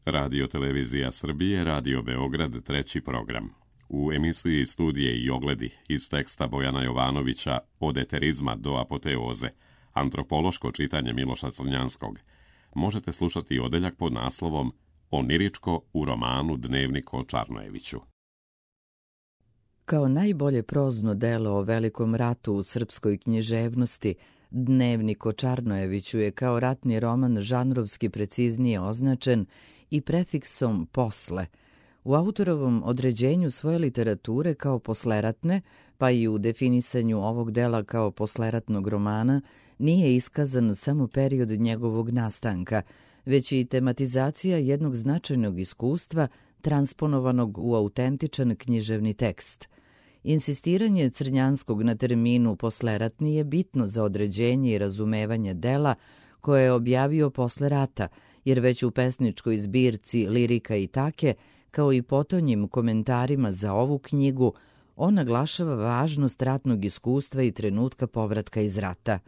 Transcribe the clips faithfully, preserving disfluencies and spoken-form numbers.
Radio Televizija Srbije, Radio Beograd, treći program. U emisiji Studije i ogledi iz teksta Bojana Jovanovića Od eterizma do apoteoze, antropološko čitanje Miloša Crnjanskog, možete slušati odeljak pod naslovom Oniričko u romanu Dnevnik o Čarnojeviću. Kao najbolje prozno delo o velikom ratu u srpskoj književnosti, Dnevnik o Čarnojeviću je kao ratni roman žanrovski preciznije označen i prefiksom posle. U autorovom određenju svoje literature kao posleratne, pa i u definisanju ovog dela kao posleratnog romana, nije iskazan samo period njegovog nastanka, već i tematizacija jednog značajnog iskustva transponovanog u autentičan književni tekst. Insistiranje Crnjanskog na terminu posleratni je bitno za određenje i razumevanje dela koje je objavio posle rata, jer već u pesničkoj zbirci Lirika i take, kao i potonjim komentarima za ovu knjigu, on naglašava važnost ratnog iskustva i trenutka povratka iz rata.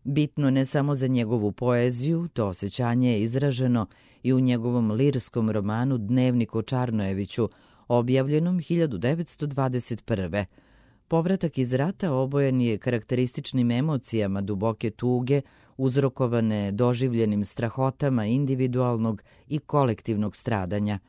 Bitno ne samo za njegovu poeziju, to osjećanje je izraženo i u njegovom lirskom romanu Dnevnik o Čarnojeviću, objavljenom hiljadu devetsto dvadeset prve. Povratak iz rata obojen je karakterističnim emocijama duboke tuge, uzrokovane doživljenim strahotama individualnog i kolektivnog stradanja.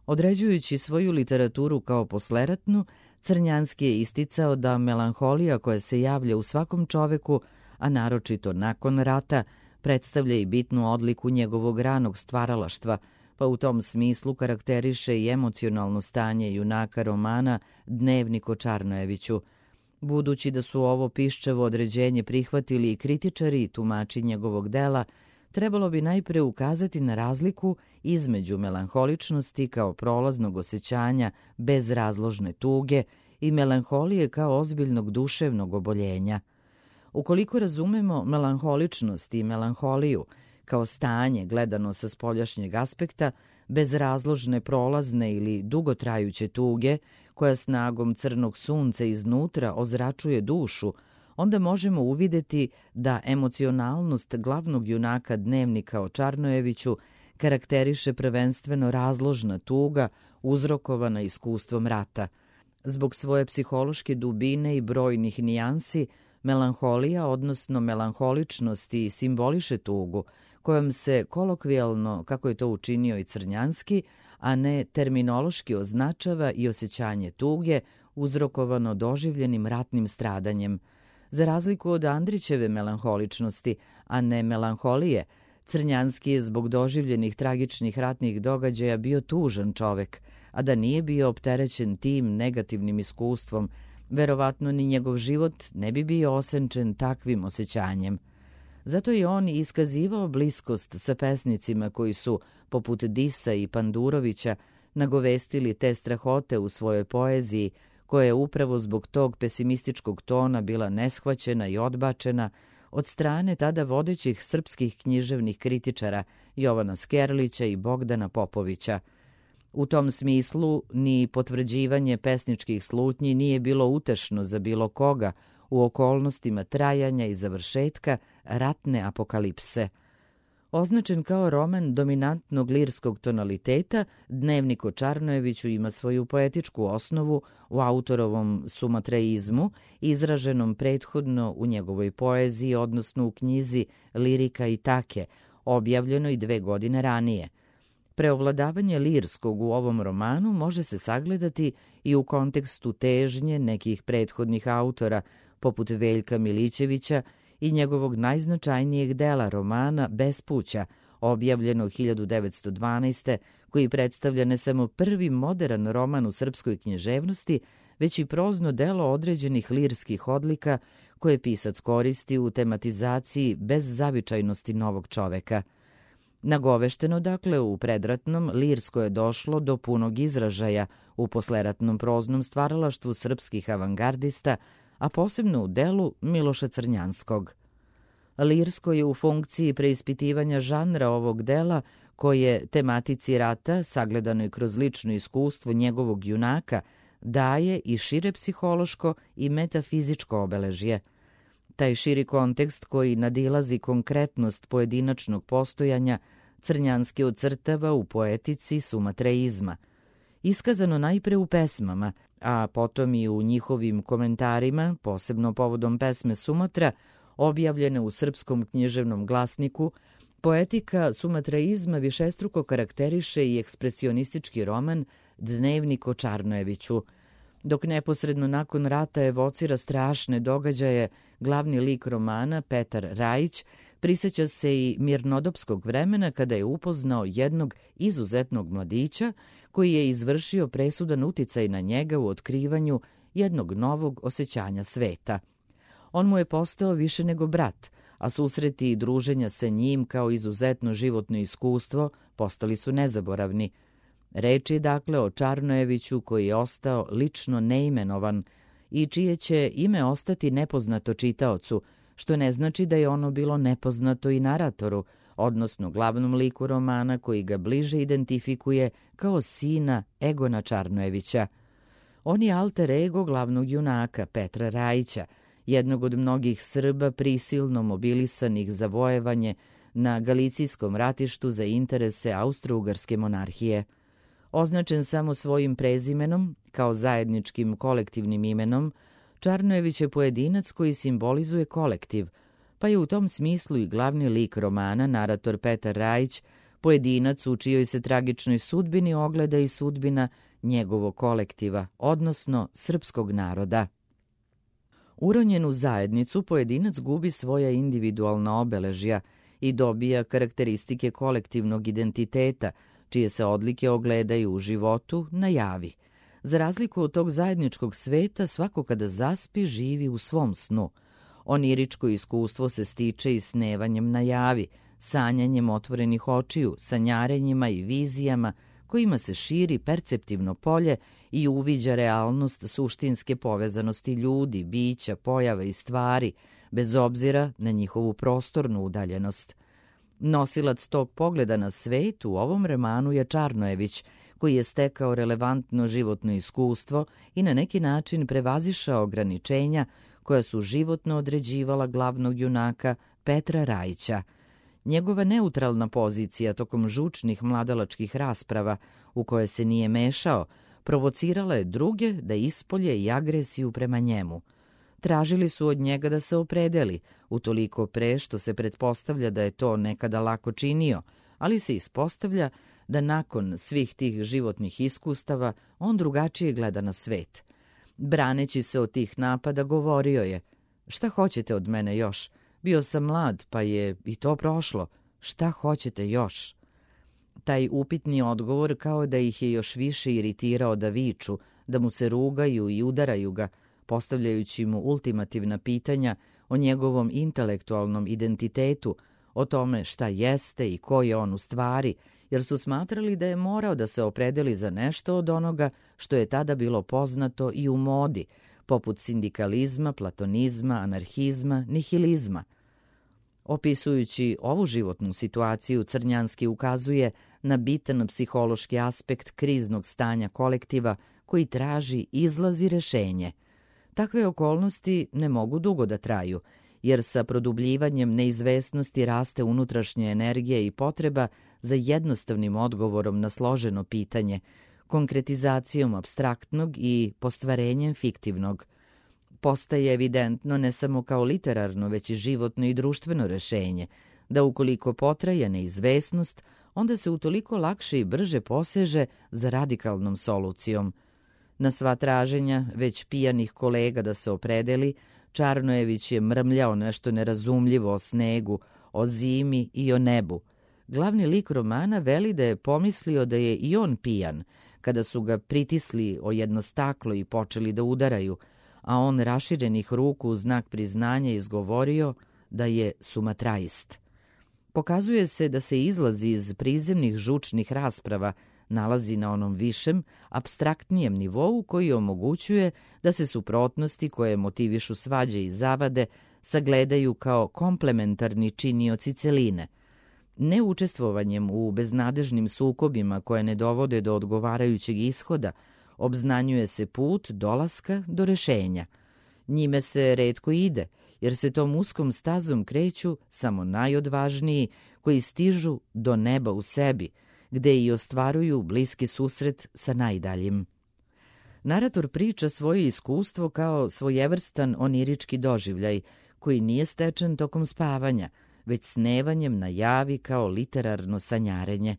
Određujući svoju literaturu kao posleratnu, Crnjanski je isticao da melanholija koja se javlja u svakom čoveku, a naročito nakon rata, predstavlja i bitnu odliku njegovog ranog stvaralaštva, pa u tom smislu karakteriše i emocionalno stanje junaka romana Dnevnik o Čarnojeviću. Budući da su ovo piščevo određenje prihvatili i kritičari i tumači njegovog dela, trebalo bi najpre ukazati na razliku između melanholičnosti kao prolaznog osjećanja bez razložne tuge i melanholije kao ozbiljnog duševnog oboljenja. Ukoliko razumemo melanholičnost i melanholiju kao stanje gledano sa spoljašnjeg aspekta, bez razložne prolazne ili dugotrajuće tuge, koja snagom crnog sunca iznutra ozračuje dušu, onda možemo uvideti da emocionalnost glavnog junaka Dnevnika o Čarnojeviću karakteriše prvenstveno razložna tuga uzrokovana iskustvom rata. Zbog svoje psihološke dubine i brojnih nijansi, melanholija, odnosno melanholičnosti, simboliše tugu, kojom se kolokvijalno, kako je to učinio i Crnjanski, a ne terminološki označava i osjećanje tuge uzrokovano doživljenim ratnim stradanjem. Za razliku od Andrićeve melanholičnosti, a ne melanholije, Crnjanski je zbog doživljenih tragičnih ratnih događaja bio tužan čovek, a da nije bio opterećen tim negativnim iskustvom, verovatno ni njegov život ne bi bio osenčen takvim osjećanjem. Zato je on iskazivao bliskost sa pesnicima koji su, poput Disa i Pandurovića, nagovestili te strahote u svojoj poeziji, koja je upravo zbog tog pesimističkog tona bila neshvaćena i odbačena od strane tada vodećih srpskih književnih kritičara Jovana Skerlića i Bogdana Popovića. U tom smislu ni potvrđivanje pesničkih slutnji nije bilo utešno za bilo koga u okolnostima trajanja i završetka ratne apokalipse. Označen kao roman dominantnog lirskog tonaliteta, Dnevnik o Čarnojeviću ima svoju poetičku osnovu u autorovom sumatreizmu, izraženom prethodno u njegovoj poeziji, odnosno u knjizi Lirika i take, objavljenoj dve godine ranije. Preovladavanje lirskog u ovom romanu može se sagledati i u kontekstu težnje nekih prethodnih autora, poput Veljka Milićevića i njegovog najznačajnijeg dela romana Bespuća, objavljenog hiljadu devetsto dvanaeste. koji predstavlja ne samo prvi modern roman u srpskoj književnosti, već i prozno delo određenih lirskih odlika koje pisac koristi u tematizaciji bez zavičajnosti novog čoveka. Nagovešteno, dakle, u predratnom, lirsko je došlo do punog izražaja u posleratnom proznom stvaralaštvu srpskih avangardista, a posebno u delu Miloša Crnjanskog. Lirsko je u funkciji preispitivanja žanra ovog dela koje tematici rata, sagledanoj kroz lično iskustvo njegovog junaka, daje i šire psihološko i metafizičko obeležje. Taj širi kontekst koji nadilazi konkretnost pojedinačnog postojanja Crnjanski ocrtava u poetici sumatreizma. Iskazano najpre u pesmama, a potom i u njihovim komentarima, posebno povodom pesme Sumatra, objavljene u Srpskom književnom glasniku, poetika sumatreizma višestruko karakteriše i ekspresionistički roman Dnevnik o Čarnojeviću. Dok neposredno nakon rata evocira strašne događaje, glavni lik romana, Petar Rajić, prisjeća se i mirnodopskog vremena kada je upoznao jednog izuzetnog mladića koji je izvršio presudan uticaj na njega u otkrivanju jednog novog osjećanja sveta. On mu je postao više nego brat, a susreti i druženja sa njim kao izuzetno životno iskustvo postali su nezaboravni. Reč je dakle o Čarnojeviću koji je ostao lično neimenovan i čije će ime ostati nepoznato čitaocu, što ne znači da je ono bilo nepoznato i naratoru, odnosno glavnom liku romana koji ga bliže identifikuje kao sina Egona Čarnojevića. On je alter ego glavnog junaka Petra Rajića, jednog od mnogih Srba prisilno mobilisanih za vojevanje na Galicijskom ratištu za interese Austro-Ugarske monarhije. Označen samo svojim prezimenom, kao zajedničkim kolektivnim imenom, Čarnojević je pojedinac koji simbolizuje kolektiv, pa je u tom smislu i glavni lik romana, narator Petar Rajić, pojedinac u čijoj se tragičnoj sudbini ogleda i sudbina njegovog kolektiva, odnosno srpskog naroda. Uronjen u zajednicu, pojedinac gubi svoja individualna obeležja i dobija karakteristike kolektivnog identiteta, čije se odlike ogledaju u životu na javi. Za razliku od tog zajedničkog sveta, svako kada zaspi živi u svom snu. Oniričko iskustvo se stiče i snevanjem na javi, sanjanjem otvorenih očiju, sanjarenjima i vizijama kojima se širi perceptivno polje i uviđa realnost suštinske povezanosti ljudi, bića, pojava i stvari, bez obzira na njihovu prostornu udaljenost. Nosilac tog pogleda na svet u ovom romanu je Čarnojević, koji je stekao relevantno životno iskustvo i na neki način prevazišao ograničenja koja su životno određivala glavnog junaka Petra Rajića. Njegova neutralna pozicija tokom žučnih mladalačkih rasprava, u koje se nije mešao, provocirala je druge da ispolje i agresiju prema njemu. Tražili su od njega da se opredeli, utoliko pre što se pretpostavlja da je to nekada lako činio, ali se ispostavlja da nakon svih tih životnih iskustava on drugačije gleda na svet. Braneći se od tih napada govorio je: "Šta hoćete od mene još? Bio sam mlad, pa je i to prošlo. Šta hoćete još?" Taj upitni odgovor kao da ih je još više iritirao da viču, da mu se rugaju i udaraju ga, postavljajući mu ultimativna pitanja o njegovom intelektualnom identitetu, o tome šta jeste i ko je on u stvari, jer su smatrali da je morao da se opredeli za nešto od onoga što je tada bilo poznato i u modi, poput sindikalizma, platonizma, anarhizma, nihilizma. Opisujući ovu životnu situaciju, Crnjanski ukazuje na bitan psihološki aspekt kriznog stanja kolektiva koji traži izlaz i rešenje. Takve okolnosti ne mogu dugo da traju, jer sa produbljivanjem neizvesnosti raste unutrašnja energija i potreba za jednostavnim odgovorom na složeno pitanje, konkretizacijom apstraktnog i postvarenjem fiktivnog. Postaje evidentno ne samo kao literarno, već i životno i društveno rešenje, da ukoliko potraje neizvesnost, onda se utoliko lakše i brže poseže za radikalnom solucijom. Na sva traženja već pijanih kolega da se opredeli, Čarnojević je mrmljao nešto nerazumljivo o snegu, o zimi i o nebu. Glavni lik romana veli da je pomislio da je i on pijan, kada su ga pritisli o jedno staklo i počeli da udaraju, a on raširenih ruku u znak priznanja izgovorio da je sumatraist. Pokazuje se da se izlazi iz prizemnih žučnih rasprava nalazi na onom višem, apstraktnijem nivou koji omogućuje da se suprotnosti koje motivišu svađe i zavade sagledaju kao komplementarni činioci celine. Neučestvovanjem u beznadežnim sukobima koje ne dovode do odgovarajućeg ishoda, obznanjuje se put dolaska do rešenja. Njime se retko ide, jer se tom uskom stazom kreću samo najodvažniji koji stižu do neba u sebi, gde i ostvaruju bliski susret sa najdaljim. Narator priča svoje iskustvo kao svojevrstan onirički doživljaj, koji nije stečen tokom spavanja, već snevanjem na javi kao literarno sanjarenje.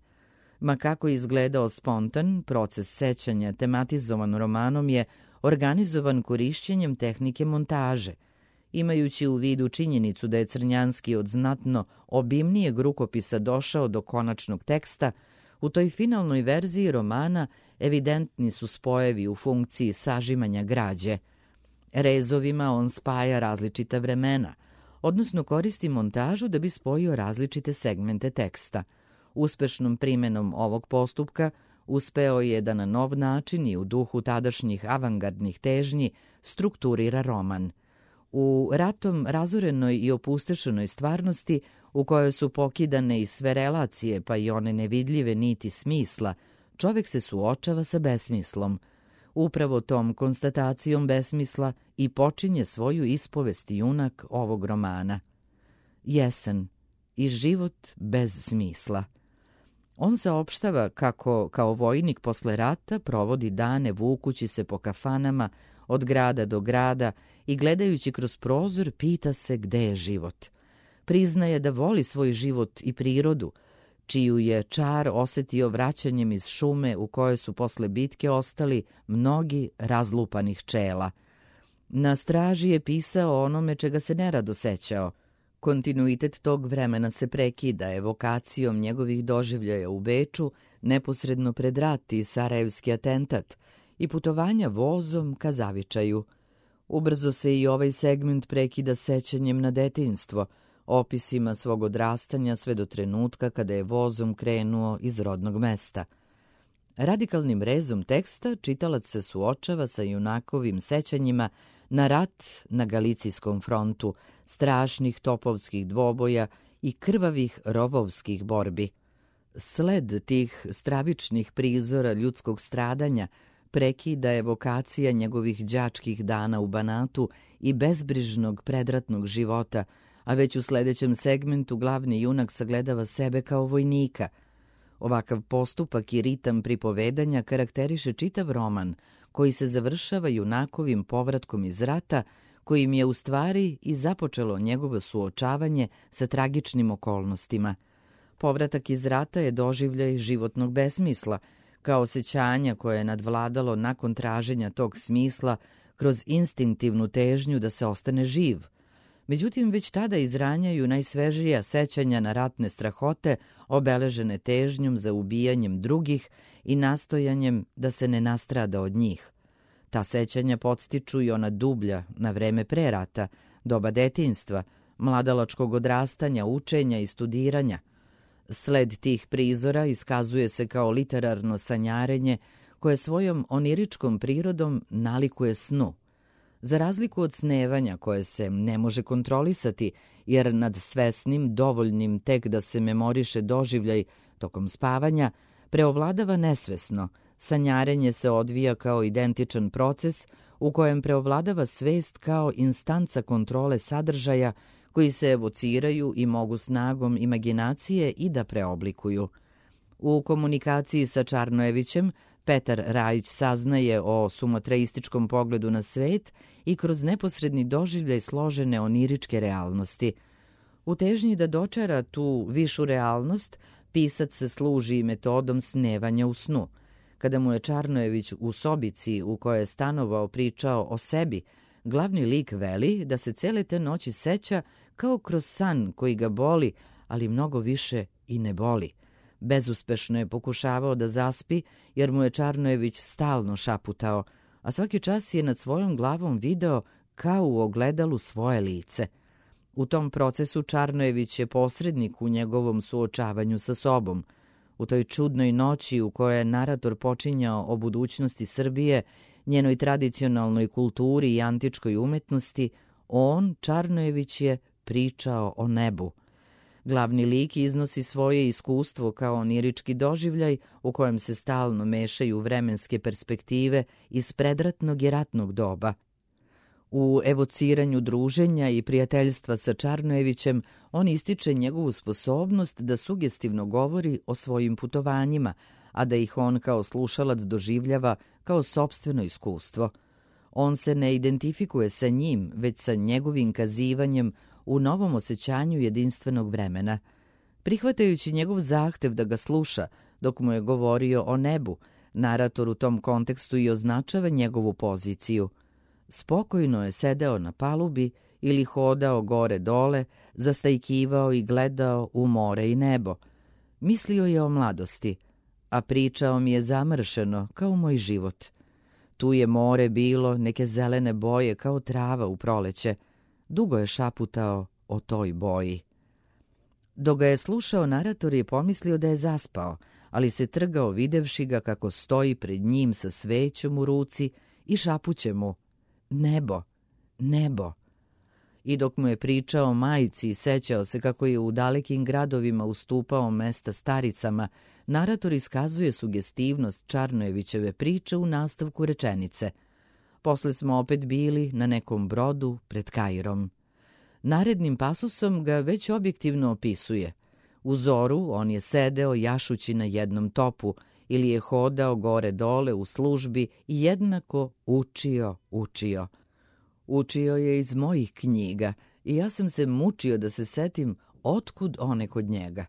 Ma kako je izgledao spontan, proces sećanja tematizovan romanom je organizovan korišćenjem tehnike montaže. Imajući u vidu činjenicu da je Crnjanski od znatno obimnijeg rukopisa došao do konačnog teksta, u toj finalnoj verziji romana evidentni su spojevi u funkciji sažimanja građe. Rezovima on spaja različita vremena, odnosno koristi montažu da bi spojio različite segmente teksta. Uspešnom primenom ovog postupka uspeo je da na nov način i u duhu tadašnjih avangardnih težnji strukturira roman. U ratom razorenoj i opustešenoj stvarnosti, u kojoj su pokidane i sve relacije, pa i one nevidljive niti smisla, čovek se suočava sa besmislom. Upravo tom konstatacijom besmisla i počinje svoju ispovest junak ovog romana. Jesen i život bez smisla. On saopštava kako, kao vojnik posle rata, provodi dane vukući se po kafanama od grada do grada i gledajući kroz prozor pita se gde je život. Priznaje da voli svoj život i prirodu, čiju je čar osetio vraćanjem iz šume u kojoj su posle bitke ostali mnogi razlupanih čela. Na straži je pisao o onome čega se nerado sećao. Kontinuitet tog vremena se prekida evokacijom njegovih doživljaja u Beču, neposredno pred rat i sarajevski atentat, i putovanja vozom ka zavičaju. Ubrzo se i ovaj segment prekida sećanjem na detinjstvo, opisima svog odrastanja sve do trenutka kada je vozom krenuo iz rodnog mesta. Radikalnim rezom teksta čitalac se suočava sa junakovim sećanjima na rat na Galicijskom frontu, strašnih topovskih dvoboja i krvavih rovovskih borbi. Sled tih stravičnih prizora ljudskog stradanja prekida evokacija njegovih đačkih dana u Banatu i bezbrižnog predratnog života, a već u sledećem segmentu glavni junak sagledava sebe kao vojnika. Ovakav postupak i ritam pripovedanja karakteriše čitav roman, koji se završava junakovim povratkom iz rata, kojim je u stvari i započelo njegovo suočavanje sa tragičnim okolnostima. Povratak iz rata je doživljaj životnog besmisla, kao osjećanja koje je nadvladalo nakon traženja tog smisla kroz instinktivnu težnju da se ostane živ. Međutim, već tada izranjaju najsvežija sećanja na ratne strahote, obeležene težnjom za ubijanjem drugih i nastojanjem da se ne nastrada od njih. Ta sećanja podstiču i ona dublja na vreme pre rata, doba detinjstva, mladalačkog odrastanja, učenja i studiranja. Sled tih prizora iskazuje se kao literarno sanjarenje koje svojom oniričkom prirodom nalikuje snu. Za razliku od snevanja koje se ne može kontrolisati, jer nad svesnim dovoljnim tek da se memoriše doživljaj tokom spavanja, preovladava nesvesno. Sanjarenje se odvija kao identičan proces u kojem preovladava svest kao instanca kontrole sadržaja koji se evociraju i mogu snagom imaginacije i da preoblikuju. U komunikaciji sa Čarnojevićem Petar Rajić saznaje o sumatraističkom pogledu na svet i kroz neposredni doživljaj složene oniričke realnosti. U težnji da dočara tu višu realnost, pisac se služi i metodom snevanja u snu. Kada mu je Čarnojević u sobici u kojoj je stanovao pričao o sebi, glavni lik veli da se cele te noći seća kao kroz san koji ga boli, ali mnogo više i ne boli. Bezuspešno je pokušavao da zaspi, jer mu je Čarnojević stalno šaputao, a svaki čas je nad svojom glavom video kao u ogledalu svoje lice. U tom procesu Čarnojević je posrednik u njegovom suočavanju sa sobom. U toj čudnoj noći u kojoj je narator počinjao o budućnosti Srbije, njenoj tradicionalnoj kulturi i antičkoj umetnosti, on, Čarnojević, je pričao o nebu. Glavni lik iznosi svoje iskustvo kao onirički doživljaj u kojem se stalno mešaju vremenske perspektive iz predratnog i ratnog doba. U evociranju druženja i prijateljstva sa Čarnojevićem on ističe njegovu sposobnost da sugestivno govori o svojim putovanjima, a da ih on kao slušalac doživljava kao sopstveno iskustvo. On se ne identifikuje sa njim, već sa njegovim kazivanjem u novom osjećanju jedinstvenog vremena. Prihvatajući njegov zahtev da ga sluša dok mu je govorio o nebu, narator u tom kontekstu i označava njegovu poziciju. Spokojno je sedeo na palubi ili hodao gore-dole, zastajkivao i gledao u more i nebo. Mislio je o mladosti, a pričao mi je zamršeno kao moj život. Tu je more bilo neke zelene boje kao trava u proleće. Dugo je šaputao o toj boji. Dok ga je slušao, narator je pomislio da je zaspao, ali se trgao videvši ga kako stoji pred njim sa svećom u ruci i šapuće mu: nebo, nebo. I dok mu je pričao o majci i sećao se kako je u dalekim gradovima ustupao mesta staricama, narator iskazuje sugestivnost Čarnojevićeve priče u nastavku rečenice: posle smo opet bili na nekom brodu pred Kairom. Narednim pasusom ga već objektivno opisuje. U zoru on je sedeo jašući na jednom topu ili je hodao gore-dole u službi i jednako učio, učio. Učio je iz mojih knjiga i ja sam se mučio da se setim otkud one kod njega.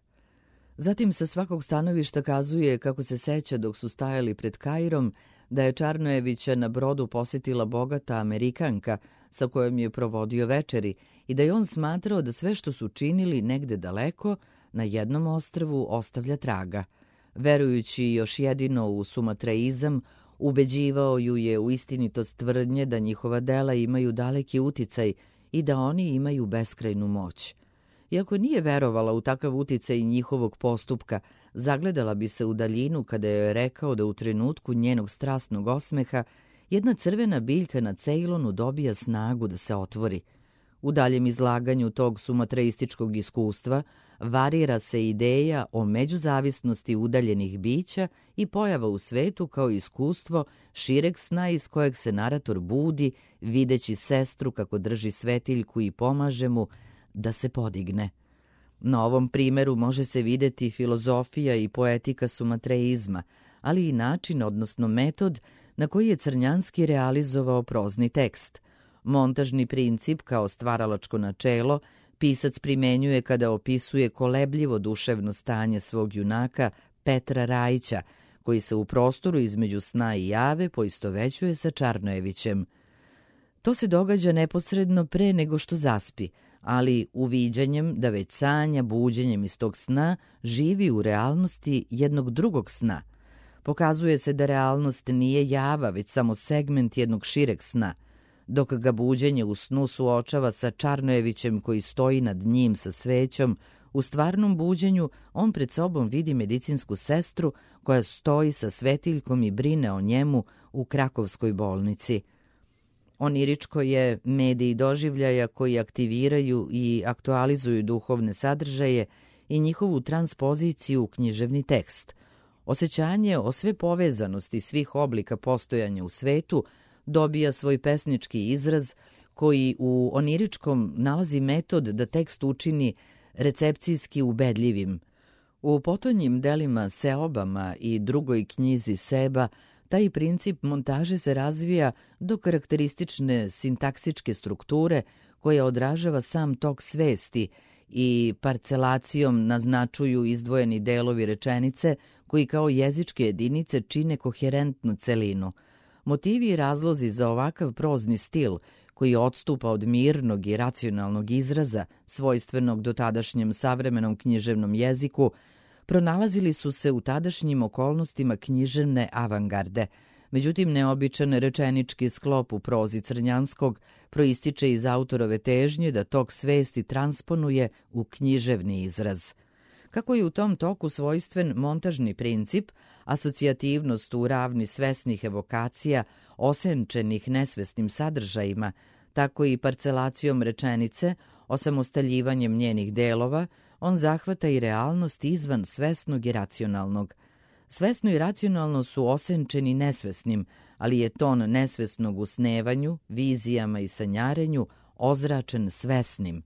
Zatim sa svakog stanovišta kazuje kako se seća dok su stajali pred Kairom da je Čarnojevića na brodu posjetila bogata Amerikanka sa kojom je provodio večeri i da je on smatrao da sve što su činili negde daleko na jednom ostrvu ostavlja traga. Verujući još jedino u sumatreizam, ubeđivao ju je u istinitost tvrdnje da njihova dela imaju daleki uticaj i da oni imaju beskrajnu moć. Iako nije verovala u takav uticaj njihovog postupka, zagledala bi se u daljinu kada je rekao da u trenutku njenog strasnog osmeha jedna crvena biljka na Ceylonu dobija snagu da se otvori. U daljem izlaganju tog sumatreističkog iskustva varira se ideja o međuzavisnosti udaljenih bića i pojava u svetu kao iskustvo šireg sna iz kojeg se narator budi, videći sestru kako drži svetiljku i pomaže mu da se podigne. Na ovom primeru može se videti filozofija i poetika sumatreizma, ali i način, odnosno metod, na koji je Crnjanski realizovao prozni tekst. Montažni princip kao stvaralačko načelo pisac primenjuje kada opisuje kolebljivo duševno stanje svog junaka Petra Rajića, koji se u prostoru između sna i jave poistovećuje sa Čarnojevićem. To se događa neposredno pre nego što zaspi, ali uviđanjem da već sanja buđenjem iz tog sna živi u realnosti jednog drugog sna. Pokazuje se da realnost nije java, već samo segment jednog šireg sna. Dok ga buđenje u snu suočava sa Čarnojevićem koji stoji nad njim sa svećom, u stvarnom buđenju on pred sobom vidi medicinsku sestru koja stoji sa svetiljkom i brine o njemu u krakovskoj bolnici. Oniričko je medij doživljaja koji aktiviraju i aktualizuju duhovne sadržaje i njihovu transpoziciju u književni tekst. Osjećanje o sve povezanosti svih oblika postojanja u svetu dobija svoj pesnički izraz koji u oniričkom nalazi metod da tekst učini recepcijski ubedljivim. U potonjim delima Seobama i drugoj knjizi Seba taj princip montaže se razvija do karakteristične sintaksičke strukture koja odražava sam tok svesti i parcelacijom naznačuju izdvojeni delovi rečenice koji kao jezičke jedinice čine koherentnu celinu. Motivi i razlozi za ovakav prozni stil, koji odstupa od mirnog i racionalnog izraza, svojstvenog dotadašnjem savremenom književnom jeziku, pronalazili su se u tadašnjim okolnostima književne avangarde. Međutim, neobičan rečenički sklop u prozi Crnjanskog proističe iz autorove težnje da tok svesti transponuje u književni izraz. Kako je u tom toku svojstven montažni princip, asocijativnost u ravni svesnih evokacija, osenčenih nesvesnim sadržajima, tako i parcelacijom rečenice, osamostaljivanjem njenih delova, on zahvata i realnost izvan svesnog i racionalnog. Svesno i racionalno su osenčeni nesvesnim, ali je ton nesvesnog u snevanju, vizijama i sanjarenju ozračen svesnim.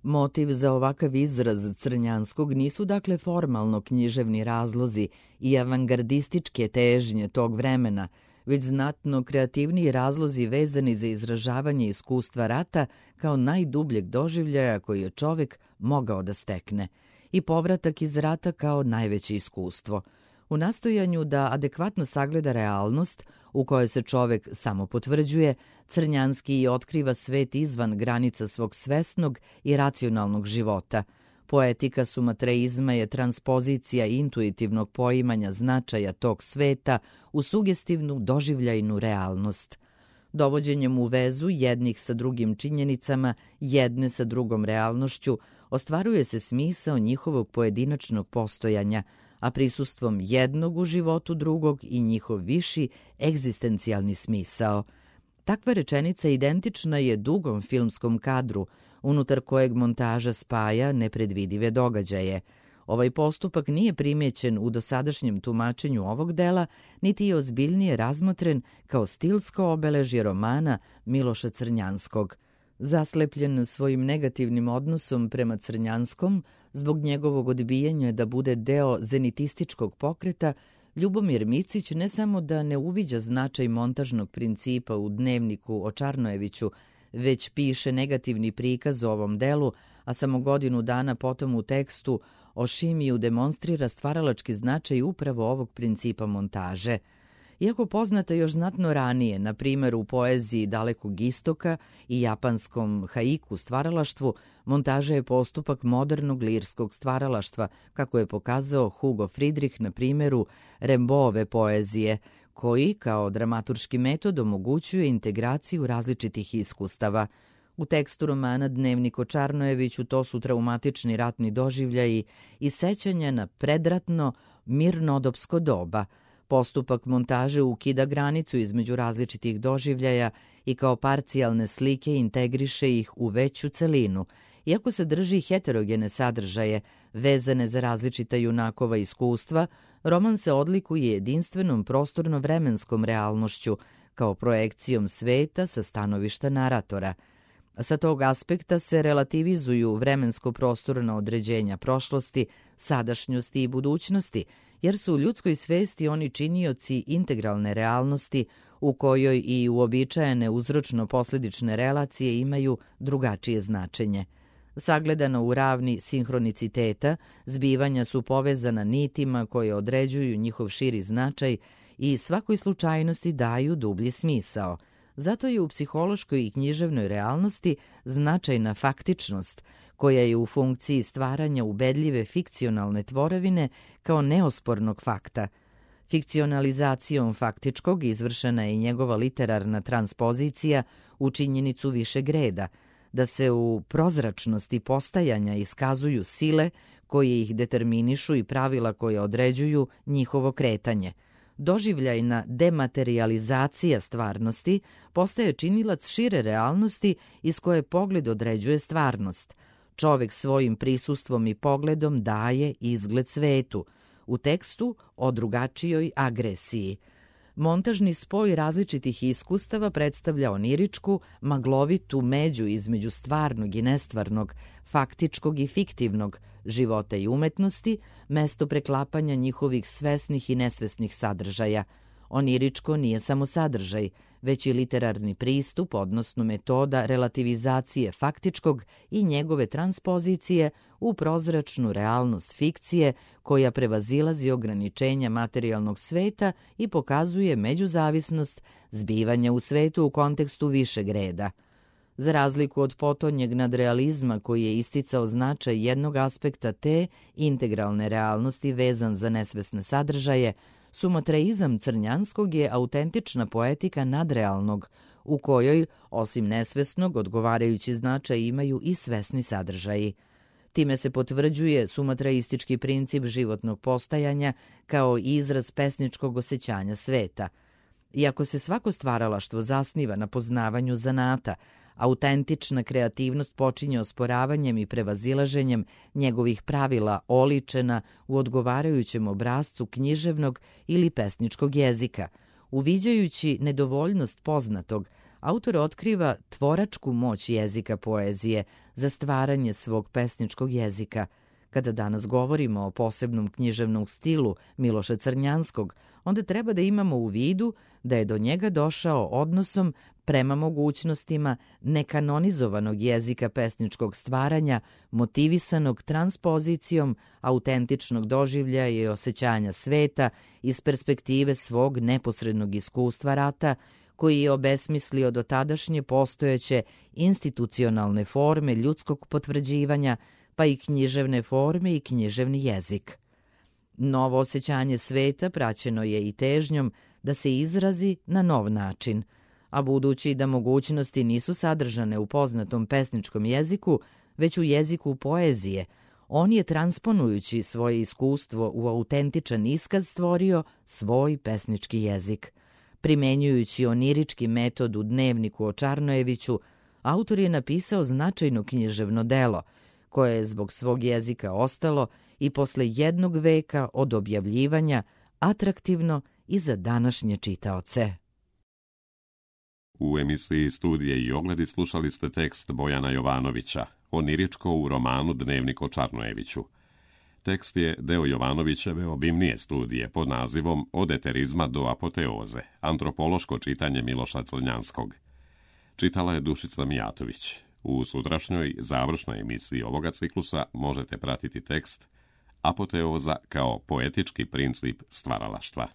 Motiv za ovakav izraz Crnjanskog nisu dakle formalno književni razlozi i avangardističke težnje tog vremena, već znatno kreativniji razlozi vezani za izražavanje iskustva rata kao najdubljeg doživljaja koji je čovjek mogao da stekne i povratak iz rata kao najveće iskustvo. U nastojanju da adekvatno sagleda realnost u kojoj se čovjek samo potvrđuje, Crnjanski otkriva svet izvan granica svog svesnog i racionalnog života. Poetika sumatreizma je transpozicija intuitivnog poimanja značaja tog sveta u sugestivnu doživljajnu realnost. Dovođenjem u vezu jednih sa drugim činjenicama, jedne sa drugom realnošću, ostvaruje se smisao njihovog pojedinačnog postojanja, a prisustvom jednog u životu drugog i njihov viši egzistencijalni smisao. Takva rečenica identična je dugom filmskom kadru, unutar kojeg montaža spaja nepredvidive događaje. Ovaj postupak nije primjećen u dosadašnjem tumačenju ovog dela, niti je ozbiljnije razmotren kao stilsko obeležje romana Miloša Crnjanskog. Zaslepljen svojim negativnim odnosom prema Crnjanskom, zbog njegovog odbijanja da bude deo zenitističkog pokreta, Ljubomir Micić ne samo da ne uviđa značaj montažnog principa u dnevniku o Čarnojeviću, već piše negativni prikaz o ovom delu, a samo godinu dana potom u tekstu o Šimiju demonstrira stvaralački značaj upravo ovog principa montaže. Iako poznata još znatno ranije, na primjer u poeziji Dalekog istoka i japanskom haiku stvaralaštvu, montaža je postupak modernog lirskog stvaralaštva, kako je pokazao Hugo Friedrich na primjeru Rimbaudove poezije, koji kao dramaturški metod omogućuje integraciju različitih iskustava. U tekstu romana Dnevnik o Čarnojeviću to su traumatični ratni doživljaji i sećanja na predratno mirnodopsko doba. Postupak montaže ukida granicu između različitih doživljaja i kao parcijalne slike integriše ih u veću celinu. Iako se drži heterogene sadržaje, vezane za različita junakova iskustva, roman se odlikuje jedinstvenom prostorno-vremenskom realnošću, kao projekcijom sveta sa stanovišta naratora. Sa tog aspekta se relativizuju vremensko-prostorna određenja prošlosti, sadašnjosti i budućnosti, jer su u ljudskoj svesti oni činioci integralne realnosti u kojoj i uobičajene uzročno-posljedične relacije imaju drugačije značenje. Sagledano u ravni sinhroniciteta, zbivanja su povezana nitima koje određuju njihov širi značaj i svakoj slučajnosti daju dublji smisao. Zato je u psihološkoj i književnoj realnosti značajna faktičnost, koja je u funkciji stvaranja ubedljive fikcionalne tvorevine kao neospornog fakta. Fikcionalizacijom faktičkog izvršena je njegova literarna transpozicija u činjenicu višeg reda, da se u prozračnosti postajanja iskazuju sile koje ih determinišu i pravila koje određuju njihovo kretanje. Doživljajna dematerializacija stvarnosti postaje činilac šire realnosti iz koje pogled određuje stvarnost. Čovjek svojim prisustvom i pogledom daje izgled svetu, u tekstu o drugačijoj agresiji. Montažni spoj različitih iskustava predstavlja oniričku, maglovitu među između stvarnog i nestvarnog, faktičkog i fiktivnog, života i umetnosti, mesto preklapanja njihovih svesnih i nesvesnih sadržaja. Oniričko nije samo sadržaj, već i literarni pristup, odnosno metoda relativizacije faktičkog i njegove transpozicije u prozračnu realnost fikcije koja prevazilazi ograničenja materijalnog sveta i pokazuje međuzavisnost zbivanja u svetu u kontekstu višeg reda. Za razliku od potonjeg nadrealizma koji je isticao značaj jednog aspekta te integralne realnosti vezan za nesvesne sadržaje, sumatreizam Crnjanskog je autentična poetika nadrealnog, u kojoj, osim nesvesnog, odgovarajući značaj imaju i svesni sadržaji. Time se potvrđuje sumatraistički princip životnog postajanja kao izraz pesničkog osjećanja sveta. Iako se svako stvaralaštvo zasniva na poznavanju zanata, Autentična kreativnost počinje osporavanjem i prevazilaženjem njegovih pravila oličena u odgovarajućem obrascu književnog ili pesničkog jezika. Uviđajući nedovoljnost poznatog, autor otkriva tvoračku moć jezika poezije za stvaranje svog pesničkog jezika. Kada danas govorimo o posebnom književnom stilu Miloša Crnjanskog, onda treba da imamo u vidu da je do njega došao odnosom prema mogućnostima nekanonizovanog jezika pesničkog stvaranja, motivisanog transpozicijom autentičnog doživljaja i osjećanja sveta iz perspektive svog neposrednog iskustva rata, koji je obesmislio dotadašnje postojeće institucionalne forme ljudskog potvrđivanja, pa i književne forme i književni jezik. Novo osjećanje sveta praćeno je i težnjom da se izrazi na nov način, a budući da mogućnosti nisu sadržane u poznatom pesničkom jeziku, već u jeziku poezije, on je transponujući svoje iskustvo u autentičan iskaz stvorio svoj pesnički jezik. Primenjujući onirički metod u Dnevniku o Čarnojeviću, autor je napisao značajno književno delo, koje je zbog svog jezika ostalo i posle jednog veka od objavljivanja atraktivno i za današnje čitaoce. U emisiji Studije i ogledi slušali ste tekst Bojana Jovanovića, oniričko u romanu Dnevnik o Čarnojeviću. Tekst je deo Jovanovićeve obimnije studije pod nazivom Od eterizma do apoteoze, antropološko čitanje Miloša Crnjanskog. Čitala je Dušica Mijatović. U sutrašnjoj završnoj emisiji ovoga ciklusa možete pratiti tekst Apoteoza kao poetički princip stvaralaštva.